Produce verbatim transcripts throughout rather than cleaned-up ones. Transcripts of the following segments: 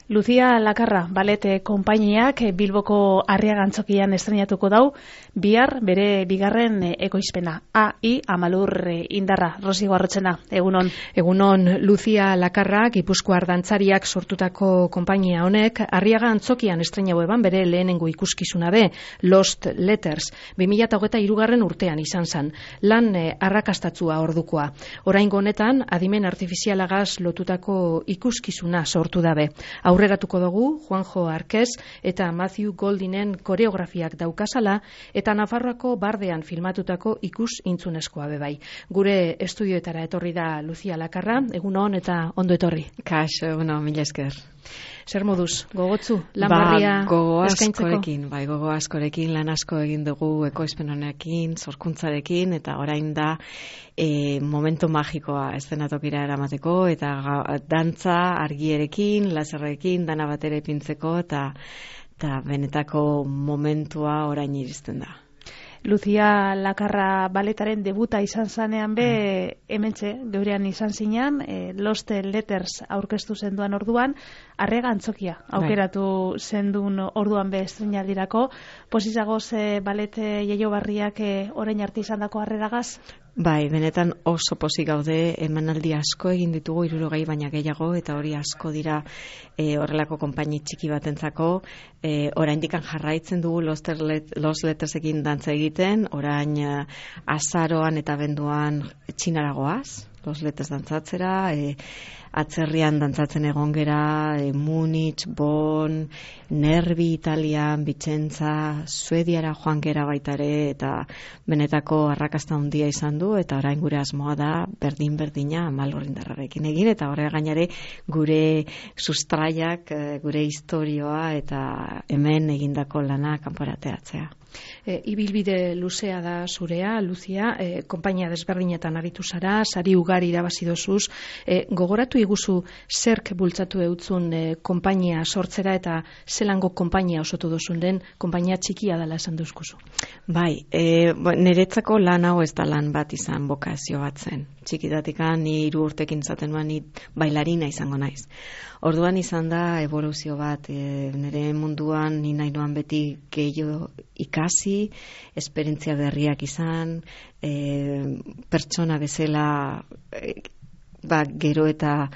Lucia Lakarra, balete konpainiak Bilboko Arriaga Antzokian estrenatuko dau, bihar bere bigarren ekoizpena. A I Amalur Indarra, Rosi Guarrotzena, egunon. Egunon, Lucia Lakarra, Gipuzkoar dantzariak sortutako konpainia honek, Arriaga Antzokian estrenatu eban bere lehenengo ikuskizuna be, Lost Letters, bi mila hogeita hirugarren urtean izan zen, lan eh, arrakastatzua ordukoa. Oraingo honetan, adimen artifizialagaz lotutako ikuskizuna sortu dabe. Aurreratuko dugu, Juanjo Arquez eta Matthew Goldinen koreografiak daukazala eta Nafarroako bardean filmatutako ikus intzunezkoa bebai. Gure estudioetara etorri da Lucia Lakarra, egunon eta ondo etorri. Kaixo, egunon, mila esker. Zer moduz, gogotzu, lan barria ba, gogo eskaintzeko? askorekin, bai, gogo askorekin, lan asko egin dugu ekoizpen honekin, sorkuntzarekin, eta orain da e, momentu magikoa eszenatokira eramateko, eta ga, dantza argierekin, laserrekin, dana batera ipintzeko, eta, eta benetako momentua orain iristen da. Lucia Lakarra baletaren debuta izan zanean be, hementxe, geurean izan zinean, e, Lost Letters aurkeztu zenduan orduan, Arriaga Antzokia aukeratu zendun orduan be estrenaldirako. Pozizagoz e, balete jaio barriak e, orain arte izan dako harreragaz? Bai, benetan oso pozik gaude, emanaldi asko egin ditugu, hirurogei baina gehiago, eta hori asko dira e, horrelako konpaini txiki batentzako. E, oraindikan jarraitzen dugu Lost Lettersekin dantza egiten, orain uh, azaroan eta benduan txinaragoaz, Lost Letters dantzatzera, e, atzerrian dantzatzen egon gera, e, Munich, Bonn, Nervi Italian, Vicenza, Suediara joan gera baitare, eta benetako arrakasta handia izan du, eta orain gure asmoa da berdin-berdina Amalur Indarrarekin egin, eta horrela gainare gure sustraiak, gure historioa, eta hemen egindako lana kanporateatzea. E, ibilbide luzea da zurea, Lucia, e, konpainia desberdinetan aritu zara, sari ugari irabazi dozuz, e, gogoratu iguzu zerk bultzatu eutzun e, konpainia sortzera eta zelango konpainia osotu dozun den, konpainia txikia dela esan duzkuzu. Bai, e, niretzako lan hau ez da lan bat izan bokazio bat zen. Txikitatikan ni hiru urtekin izaten nuen ni bailarina izango naiz. Orduan izan da evoluzio bat, e, nire munduan ni nahi noan beti gehiago ikasi, esperientzia berriak izan, e, pertsona bezala e, ba, gero eta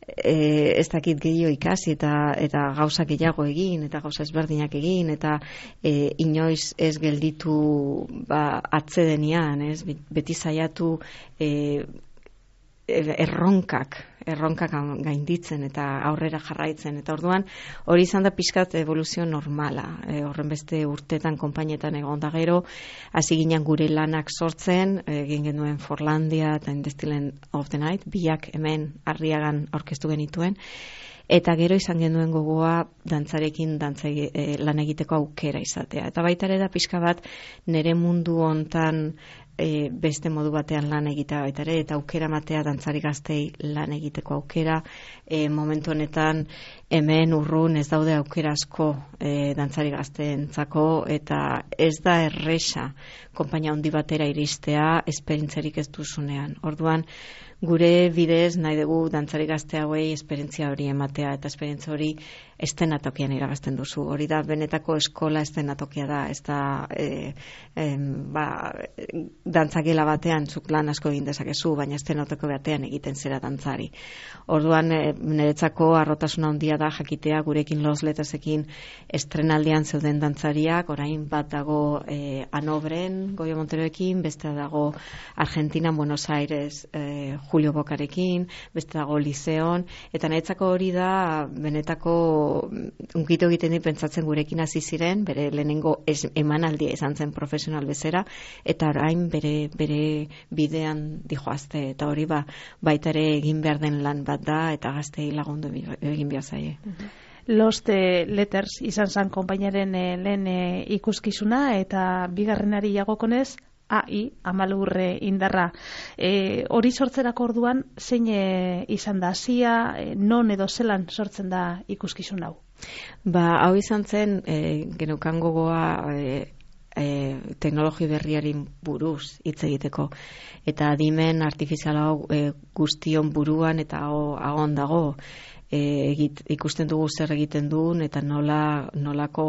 e, ez dakit gehiago ikasi eta, eta gauza gehiago egin, eta gauza ezberdinak egin, eta e, inoiz ez gelditu ba, atzedenian, ez? Beti saiatu e, erronkak, erronkak gainditzen eta aurrera jarraitzen, eta orduan hori izan da pixkat evoluzio normala, e, horren beste urtetan konpainetan egon da gero, hasi ginen gure lanak sortzen, egin genuen Forlandia eta In the Still of the Night, biak hemen Arriagan aurkeztu genituen, eta gero izan genuen gogoa dantzarekin dantza e, lan egiteko aukera izatea, eta baita ere da pixka bat nire mundu hontan E, beste modu batean lan egitea baita ere, eta aukera matea dantzari gaztei lan egiteko aukera. E, momentu honetan hemen urrun ez daude aukera asko e, dantzari gazteentzako, eta ez da erresa konpainia handi batera iristea esperientziarik ez duzunean. Orduan gure bidez nahi dugu dantzari gazte hauei esperientzia hori ematea, eta esperientzia hori estenatokian iragazten duzu. Hori da benetako eskola estenatokia da, ez da e, e, ba, dantzagela batean zuk lan asko egin dezakezu, baina estenatoko batean egiten zera dantzari. Orduan e, niretzako harrotasuna handia da jakitea gurekin Lost Lettersekin estrenaldian zeuden dantzariak, orain bat dago e, Hanobren, Goyo Monteroekin, beste dago Argentina, Buenos Aires, e, Julio Bocarekin, beste dago Lizeon, eta niretzako hori da benetako unkito egiten dit pentsatzen gurekin hasi ziren, bere lehenengo es, emanaldia izan zen profesional bezera, eta orain bere, bere bidean dijoazte, eta hori ba, baita ere egin behar den lan bat da, eta gaztei lagundu egin behar zaie. Lost Letters izan zen konpainaren lehen ikuskizuna, eta bigarrenari jagokonez, A I Amalur Indarra. E, hori sortzerako orduan, zein e, izan da hasia, e, non edo zelan sortzen da ikuskizun hau? Ba, hau izan zen, e, geneukan gogoa e, e, teknologi berriari buruz hitz egiteko. Eta adimen artifizial hau e, guztion buruan eta agon dago. e, egit, ikusten dugu zer egiten duen eta nola nolako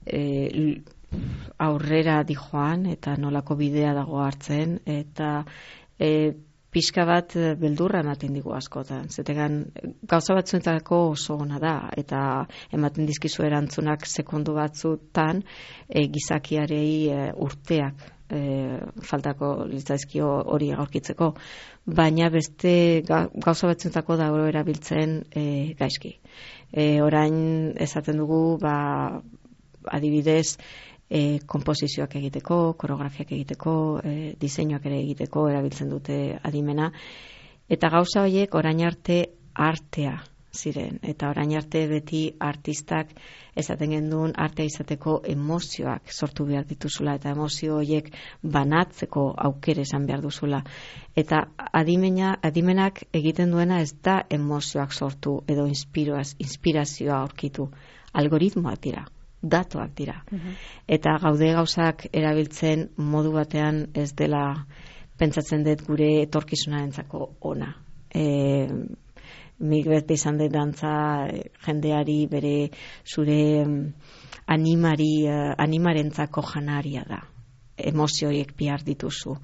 e, aurrera dijoan eta nolako bidea dago hartzen eta e, pixka bat beldurra ematen digu askotan. Zetegan gauza batzuetako oso ona da eta ematen dizkizu erantzunak sekundu batzutan e, gizakiarei e, urteak e, faltako litzaizkio hori aurkitzeko, baina beste gauza batzuetako dago erabiltzen e, gaizki. E, orain esaten dugu ba, adibidez E, komposizioak egiteko, koreografiak egiteko, e, diseinuak ere egiteko erabiltzen dute adimena. Eta gauza horiek orain arte artea ziren. Eta orain arte beti artistak esaten genduen artea izateko emozioak sortu behar dituzula eta emozio horiek banatzeko aukere esan behar duzula. Eta adimena, adimenak egiten duena ez da emozioak sortu edo inspirazioa aurkitu. Algoritmoak dira. Datuak dira. Uh-huh. Eta gaude gauzak erabiltzen modu batean ez dela pentsatzen dut gure etorkizunarentzako ona. E, Nik bete izan dut dantza jendeari bere zure animari, animarentzako janaria da. Emozioiek bihar dituzu.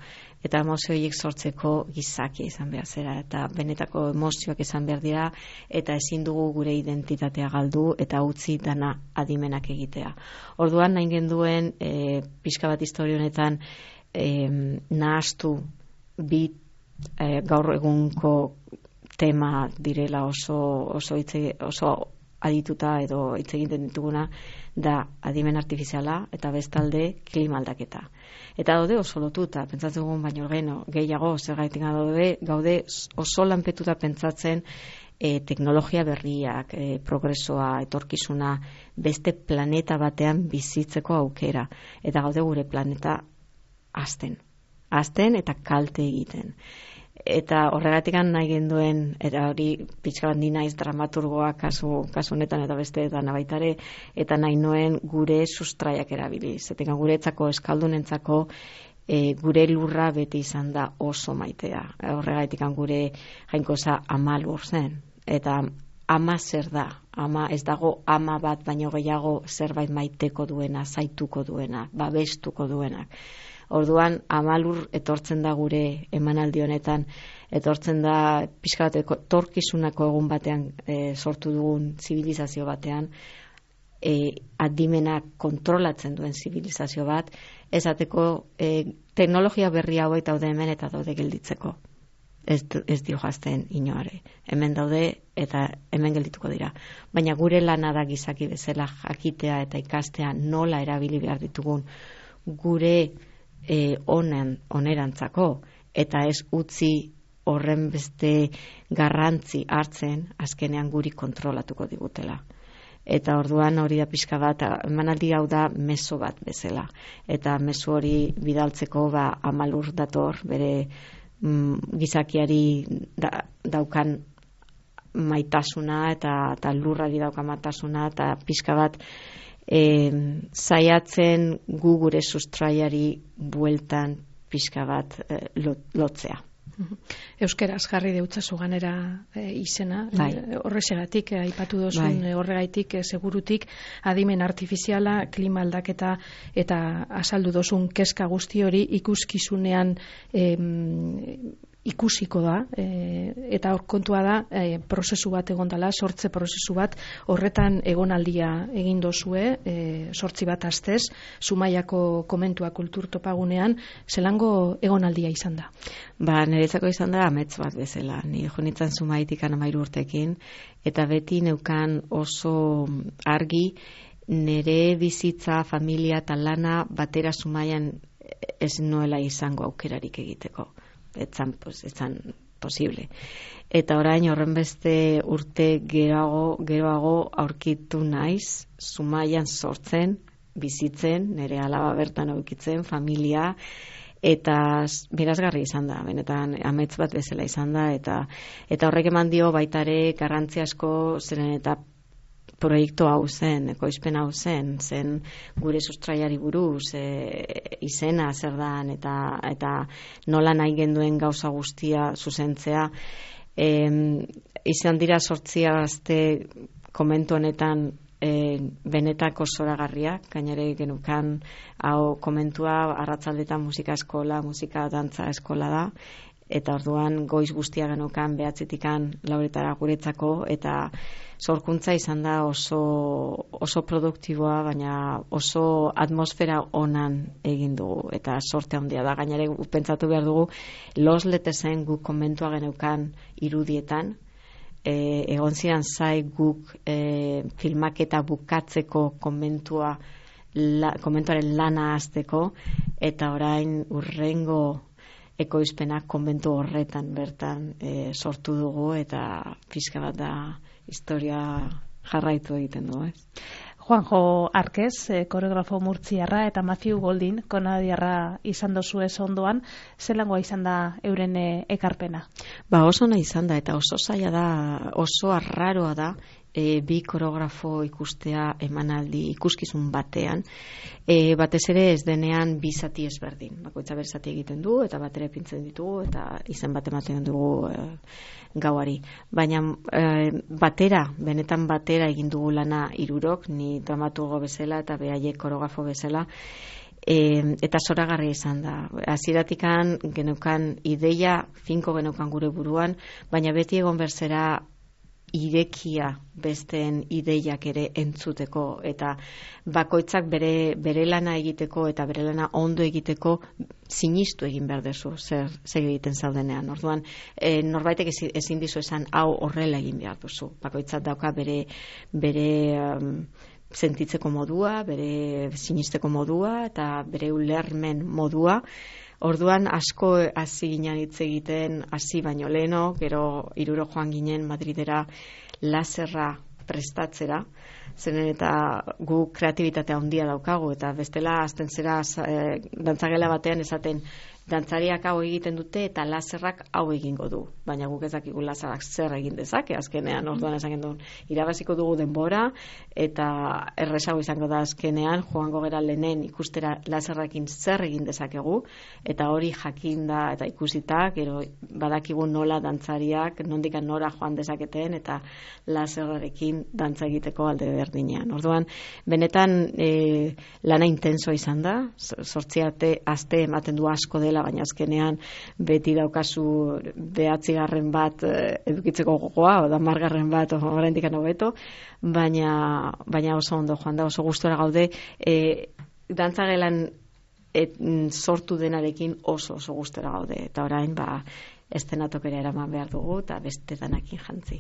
Eta emozioiek sortzeko gizakia izan behar zera. Eta benetako emozioak izan behar dira eta ezin dugu gure identitatea galdu eta utzi dana adimenak egitea. Orduan nahi genduen e, pixka bat historia honetan e, nahastu bi e, gaur egunko tema direla oso oso hitze oso adituta edo hitz egiten dituguna da adimen artifiziala eta bestalde klima aldaketa. Eta daude oso lotuta, pentsatzen dugun baino geno, gehiago zergaitik daude, gaude oso lanpetuta pentsatzen e, teknologia berriak, e, progresoa, etorkizuna, beste planeta batean bizitzeko aukera. Eta gaude gure planeta hazten. Hazten eta kalte egiten. Eta horregatik nahi genduen, eta hori pixka bat ni naiz dramaturgoa kasu, kasu honetan eta besteetan baitare, eta nahi noen gure sustraiak erabili. Zetenga guretzako eskaldunentzako e, gure lurra beti izan da oso maitea. Horregatik gure jainkosa ama lur zen. Eta ama zer da? Ama ez dago ama bat baino gehiago zerbait maiteko duena, zaituko duena, babestuko duenak. Orduan, amalur etortzen da gure emanaldi honetan, etortzen da pixka bat etorkizunako egun batean e, sortu dugun zibilizazio batean, e, adimenak kontrolatzen duen zibilizazio bat, esateko e, teknologia berri hauek daude hemen eta daude gelditzeko. Ez, ez dio jazten inoare. Hemen daude eta hemen geldituko dira. Baina gure lana da gizaki bezala jakitea eta ikastea nola erabili behar ditugun gure E, onen, onerantzako eta ez utzi horren beste garrantzi hartzen azkenean guri kontrolatuko digutela. Eta orduan hori da pixka bat, emanaldi hau da meso bat bezala. Eta meso hori bidaltzeko ba, amalur dator bere mm, gizakiari da, daukan maitasuna eta, eta lurrari daukan maitasuna eta pixka bat E, zaiatzen gu gure sustraiari bueltan pixka bat e, lotzea. Euskeraz jarri deutzazu ganera e, izena, bai. Horrexegatik e, aipatu dozun bai. Horregaitik e, segurutik adimen artifiziala, klima aldaketa eta azaldu dozun kezka guzti hori ikuskizunean e, ikusiko da, e, eta hor kontua da e, prozesu bat egondala, sortze prozesu bat, horretan egonaldia egin dozue, e, sortzi bat astez, Zumaiako komentua kultur topagunean, zelango egonaldia izan da? Ba, niretzako izan da amets bat bezala. Ni jonitzen Zumaitik amairu urtekin, eta beti neukan oso argi nire bizitza, familia eta lana batera Zumaian ez noela izango aukerarik egiteko. Etzan, pues, etzan posible. Eta orain horren beste urte geroago, geroago aurkitu naiz, Zumaian sortzen, bizitzen, nire alaba bertan aurkitzen, familia, eta mirazgarri izan da, benetan amets bat bezala izan da, eta, eta horrek eman dio baitare garrantzi asko zeren eta proiektu hau zen, ekoizpen hau zen, zen gure sustraiari buruz, e, izena zer dan, eta, eta nola nahi genduen gauza guztia zuzentzea, E, izan dira sortzi aste komentu honetan e, benetako zoragarriak, gainere genukan hau komentua arratzaldetan musika eskola, musika dantza eskola da, eta orduan goiz guztia genukan behatzitikan lauretara guretzako, eta sorkuntza izan da oso, oso produktiboa, baina oso atmosfera onan egin dugu, eta sorte handia da. Gainere pentsatu behar dugu, Los Lettersen guk komentua geneukan irudietan, e, egon ziren zai guk e, filmaketa bukatzeko komentua, la, komentuaren lana hasteko, eta orain urrengo ekoizpenak konbentu horretan bertan e, sortu dugu, eta pixka bat da historia jarraitu egiten du, ez? Juanjo Arquez, eh, koreografo murtziarra, eta Matthew Goldin, kanadiarra izan dozu ez ondoan, zelangoa izan da euren eh, ekarpena? Ba, oso nahi izan da, eta oso zaila da, oso arraroa da, E, bi koreografo ikustea emanaldi ikuskizun batean, e, batez ere ez denean bi zati ezberdin, bakoitza ber zati egiten du eta batera ipintzen ditugu eta izen bat ematen dugu e, gauari, baina e, batera, benetan batera egin dugu lana hirurok, ni dramaturgo bezala eta behaiek koreografo bezala. E, eta zoragarria izan da. Hasieratik geneukan ideia finko geneukan gure buruan, baina beti egon berzera irekia besteen ideiak ere entzuteko, eta bakoitzak bere, bere lana egiteko eta bere lana ondo egiteko sinistu egin behar dezu zer, zer egiten zaudenean. Orduan, e, norbaitek ezin dizu esan hau horrela egin behar duzu. Bakoitzak dauka bere bere um, sentitzeko modua, bere sinisteko modua eta bere ulermen modua. Orduan asko hasi ginen hitz egiten, hasi baino leheno, gero hiruro joan ginen Madridera laserra prestatzera, zenen eta gu kreatibitatea handia daukagu, eta bestela hasten zera e, dantzagela batean esaten, dantzariak hau egiten dute eta laserrak hau egingo du, baina guk ez dakigu laserrak zer egin dezake azkenean. Orduan esan gendun, irabaziko dugu denbora eta errezago izango da azkenean, joango gera lehenen ikustera laserrakin zer egin dezakegu, eta hori jakinda eta ikusita, gero badakigu nola dantzariak nondik nora joan dezaketen eta laserrarekin dantza egiteko alde berdinean. Orduan, benetan e, lana intensoa izan da, sortzi aste ematen du asko dela, baina azkenean beti daukazu behatzigarren bat edukitzeko gogoa, o da margarren bat oraindik hobeto, baina baina oso ondo joan da, oso gustora gaude, e, dantzagelan et, sortu denarekin oso oso gustora gaude, eta orain ba estenatokera eraman behar dugu eta beste danakin jantzi.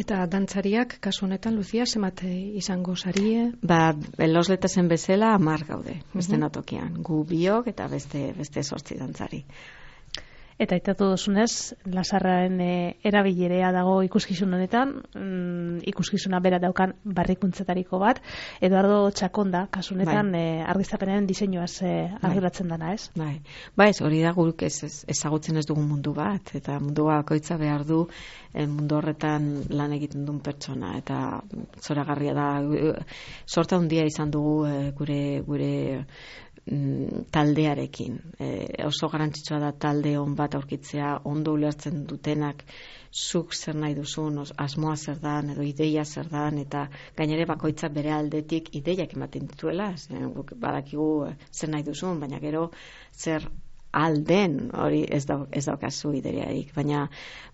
Eta dantzariak, kasu honetan, Lucia, zemate izango sarie? Ba, Los Lettersen bezala hamar gaude, uh-huh. estenatokian. Gu biok eta beste beste zortzi dantzari. Eta aitatu duzunez, lasarraren e, erabilerea dago ikuskizun honetan, mm, ikuskizuna bera daukan barrikuntzetariko bat, Eduardo Txakonda, kasunetan, bai. e, argiztapenaren diseinuaz e, arduratzen dana, ez? Bai, ba ez, hori da guk ez, ez, ezagutzen ez dugun mundu bat, eta mundu bakoitza behar du e, mundu horretan lan egiten duen pertsona, eta zoragarria da, sorta handia izan dugu e, gure gure taldearekin. E, oso garrantzitsua da talde on bat aurkitzea, ondo ulertzen dutenak zuk zer nahi duzun, asmoa zer dan, edo ideia zer dan, eta gainere bakoitza bere aldetik ideiak ematen dituela, badakigu zer nahi duzun, baina gero zer alden hori ez, da, ez daukazu ideiarik, baina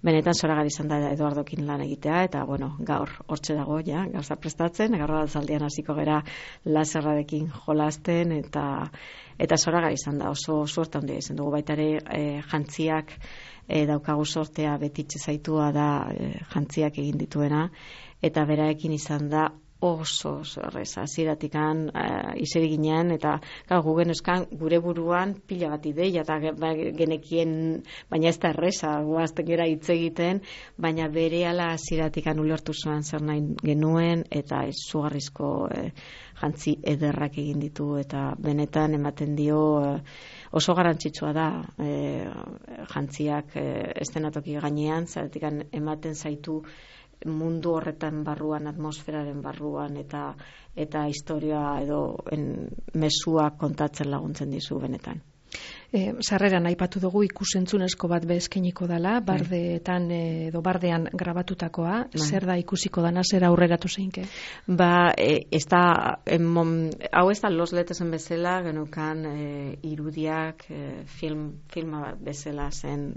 benetan zoragarri izan da Eduardokin lan egitea, eta bueno, gaur hortxe dago, ja, gauza prestatzen, gaur altzaldian hasiko gera laserrarekin jolasten, eta eta zoragarri izan da, oso suerte handia izan dugu, baita ere e, jantziak e, daukagu sortea betitxe zaitua da e, jantziak egin dituena, eta beraekin izan da oso oso erreza, ziratikan uh, izeri ginen, eta gu genuzkan gure buruan pila bat ideia, eta genekien, baina ez da erreza, guazten gera hitz egiten, baina bere ala ziratikan ulertu zuen zer nahi genuen, eta izugarrizko eh, jantzi ederrak egin ditu, eta benetan ematen dio eh, oso garrantzitsua da eh, jantziak eh, estenatoki gainean, ziratikan ematen zaitu mundu horretan barruan, atmosferaren barruan, eta eta historia edo en, mesua kontatzen laguntzen dizu benetan. E, sarreran aipatu dugu ikusentzunezko bat bezkeniko dela, bardeetan edo bardean grabatutakoa, bai. Zer da ikusiko dana, zer aurreratu zeinke? Ba, e, ez da, emon, hau ez da Los Letersen bezala, genukan e, irudiak, e, film, filma bezala zen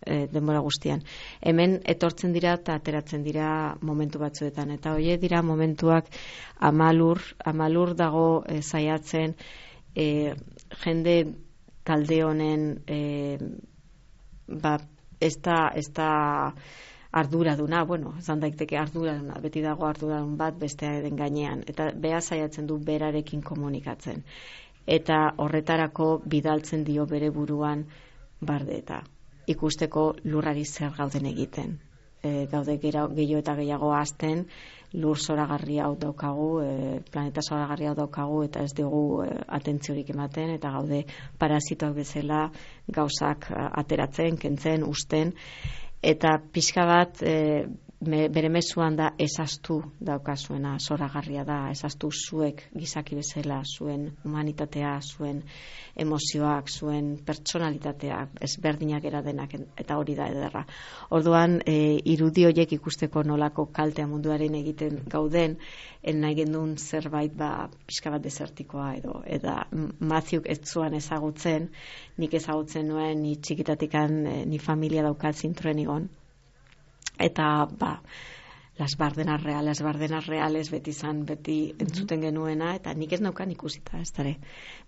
e, denbora guztian. Hemen etortzen dira eta ateratzen dira momentu batzuetan, eta hoe dira momentuak amalur, amalur dago e, zaiatzen, e, jende talde honen e, ba, ez da, ez da arduraduna, bueno, zan daiteke arduraduna, beti dago arduradun bat bestearen gainean, eta beha zaiatzen du berarekin komunikatzen. Eta horretarako bidaltzen dio bere buruan barde eta ikusteko lurrari zer gauden egiten. E, gaude gehiago eta gehiago azten, lur zoragarri hau daukagu, e, planeta zoragarri hau daukagu, eta ez dugu e, atentziorik ematen, eta gaude parasitoak bezala gauzak ateratzen, kentzen, usten, eta pixka bat e, me, bere mezuan da esaztu daukazuena, zoragarria da, esaztu zuek gizaki bezala, zuen humanitatea, zuen emozioak, zuen pertsonalitatea, ezberdinak era denak, eta hori da ederra. Orduan, e, irudi horiek ikusteko nolako kaltea munduaren egiten gauden, nahi gendun zerbait ba, pixka bat desertikoa edo, eta Matthewk ez zuan ezagutzen, nik ezagutzen nuen, ni txikitatikan, ni familia daukat zintuen igon, eta ba, las bardenas reales, bardenas reales beti zan, beti entzuten genuena, eta nik ez naukan ikusita, ez dara,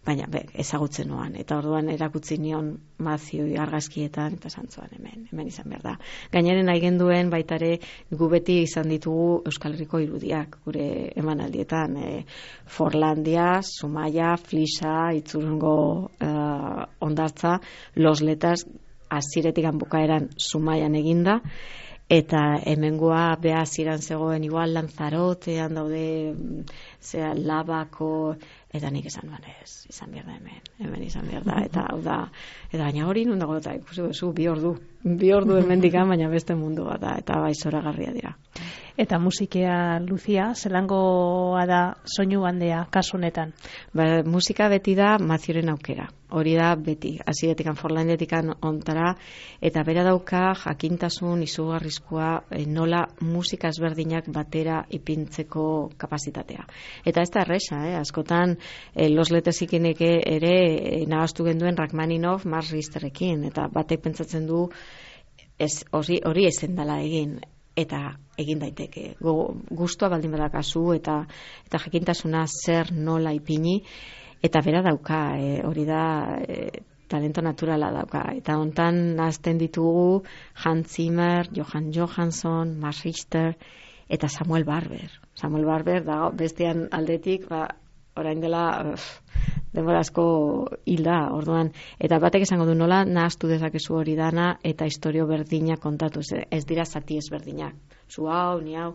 baina be, ezagutzen nuan, eta orduan erakutzi nion Matthew argazkietan, eta zantzuan hemen, hemen izan behar da. Gainaren nahi genduen, baitare, gu beti izan ditugu Euskal Herriko irudiak, gure emanaldietan, e, Forlandia, Zumaia, Flisa, Itzurungo uh, ondartza, Los Letersen, aziretik bukaeran Zumaian eginda, eta hemengoa beha ziran zegoen igual Lanzarotean daude zera Labako, eta nik esan duan ez, izan behar da hemen, hemen izan behar da, eta hau da, eta baina hori nun dago eta ikusi bezu, bi ordu, bi ordu hemen dikan, baina beste mundu bat da, eta bai zoragarria dira. Eta musikea, Lucia, zelangoa da soinu handea kasu honetan? Ba, musika beti da Matthewren aukera. Hori da beti, hasieretikan Forlandetikan ontara, eta bera dauka jakintasun izugarrizkoa e, nola musika ezberdinak batera ipintzeko kapazitatea. Eta ez da erresa, eh? askotan e, Los Letersenek ere e, nahaztu genduen Rachmaninoff Mars Risterekin, eta batek pentsatzen du ez, hori, hori ezen dela egin. Eta egin daiteke. Gustua baldin badakazu eta eta jakintasuna zer nola ipini, eta bera dauka, e, hori da e, talento naturala dauka. Eta hontan nazten ditugu Hans Zimmer, Johan Johansson, Mars Richter eta Samuel Barber. Samuel Barber da bestean aldetik, ba, orain dela denbora asko hilda, orduan, eta batek esango du nola nahaztu dezakezu hori dana eta istorio berdinak kontatu, ez dira zati ezberdinak, zu hau, ni hau,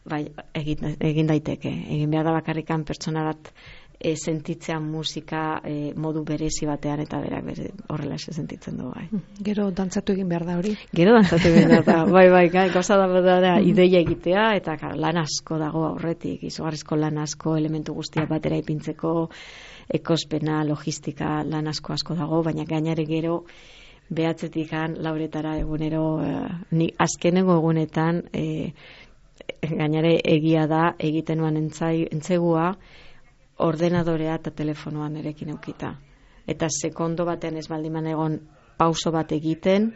bai, egin, egin daiteke, egin behar da bakarrikan pertsona bat e, sentitzea musika e, modu berezi batean, eta berak bere, horrela ez sentitzen du, bai. Gero dantzatu egin behar da hori? Gero dantzatu egin behar da, bai, bai, gauza da, da, da ideia egitea, eta kar, lan asko dago aurretik, izugarrizko lan asko, elementu guztia batera ipintzeko, ekospena, logistika, lan asko asko dago, baina gainare gero behatzetikan lauretara egunero, eh, ni azkenengo egunetan eh, gainare egia da egiten nuan entzai, entzegua ordenadorea eta telefonoan erekin eukita. Eta sekondo batean ez baldiman egon pauso bat egiten,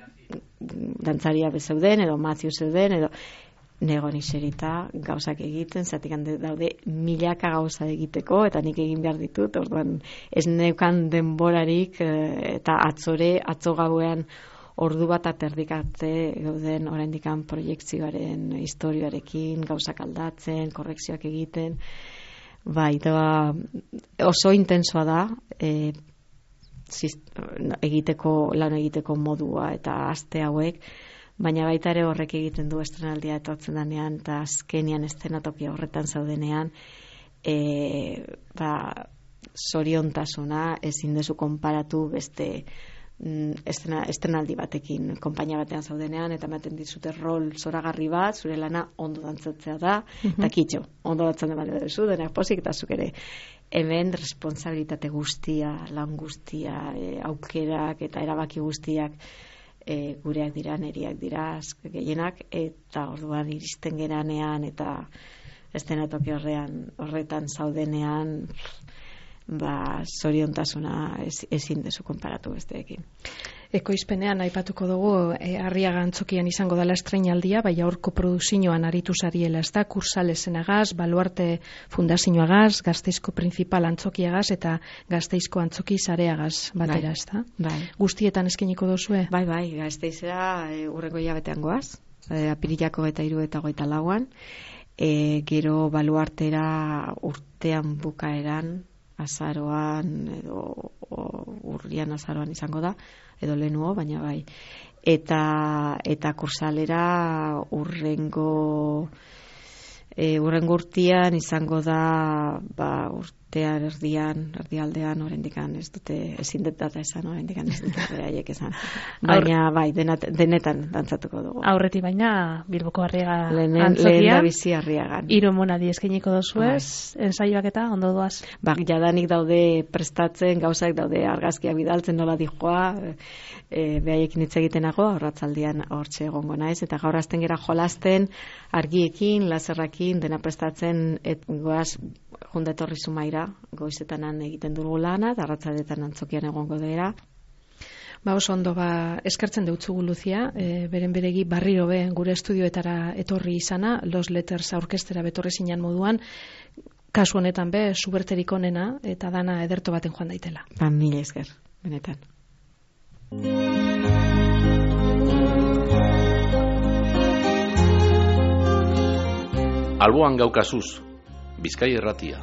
dantzaria bezeuden, edo Matthew zeuden, edo negon iserita gauzak egiten, zatik daude milaka gauza egiteko, eta nik egin behar ditut, orduan ez neukan denborarik, eta atzore, atzo gauean ordu bat aterdikatze gauden oraindikan proiektzioaren historioarekin, gauzak aldatzen, korrekzioak egiten, bai, da, oso intensoa da, e, zist, egiteko, lan egiteko modua eta aste hauek, baina baita ere horrek egiten du estrenaldia etortzen danean, eta azkenian eszenatokia horretan zaudenean, e, ba, zoriontasuna ezin dezu konparatu beste Estrena, estrenaldi batekin konpainia batean zaudenean eta ematen dizute rol zoragarri bat, zure lana ondo dantzatzea da, eta mm-hmm. kitxo, ondo dantzan ematen duzu, denak pozik eta zuk ere hemen responsabilitate guztia, lan guztia, e, aukerak eta erabaki guztiak e, gureak dira, neriak dira, gehienak, eta orduan iristen geranean eta estenatoki horrean, horretan zaudenean, ba, zoriontasuna ez, ezin dezu konparatu besteekin. Ekoizpenean aipatuko dugu e, Arriaga Antzokian izango dela estreinaldia, bai aurko produzioan aritu zariela, ez da, Kursalesenagaz, Baluarte Fundazioagaz, Gasteizko Principal Antzokiagaz eta Gasteizko Antzoki Sareagaz batera, ez da? Bai. Guztietan eskeniko dozue? Bai, bai, Gasteizera e, urrengo hilabetean goaz, e, apirilako eta hiru eta hogeita lauan, e, gero Baluartera urtean bukaeran, azaroan edo urrian azaroan izango da edo lehenuo, baina bai eta eta Kursalera urrengo e, urrengo urtean izango da ba, urtean erdian erdialdean oraindikan ez dute ezin dut data esan oraindikan ez dute beraiek esan baina bai denat, denetan dantzatuko dugu aurreti baina Bilboko Arriaga Antzokian lehen da bizi Arriagan hiru emanaldi eskainiko dozuez ensaioak eta ondo doaz ba jadanik daude prestatzen gauzak daude argazkiak bidaltzen nola dijoa e, behaiekin hitz egitenago arratzaldian hortxe egongo naiz eta gaur hasten gera jolasten argiekin laserrakin dena prestatzen et goaz junda etorri Zumaira, goizetanan egiten dugu lana, eta arratsaldetan Antzokian egongo dira. Ba oso ondo, ba, eskertzen deutzugu Lucia, e, beren beregi barriro be gure estudioetara etorri izana, Los Letters aurkestera betorri zinan moduan, kasu honetan be, suberterik onena, eta dana ederto baten joan daitela. Ba, mila esker, benetan. Alboan gaukazuz, Bizkai Irratia.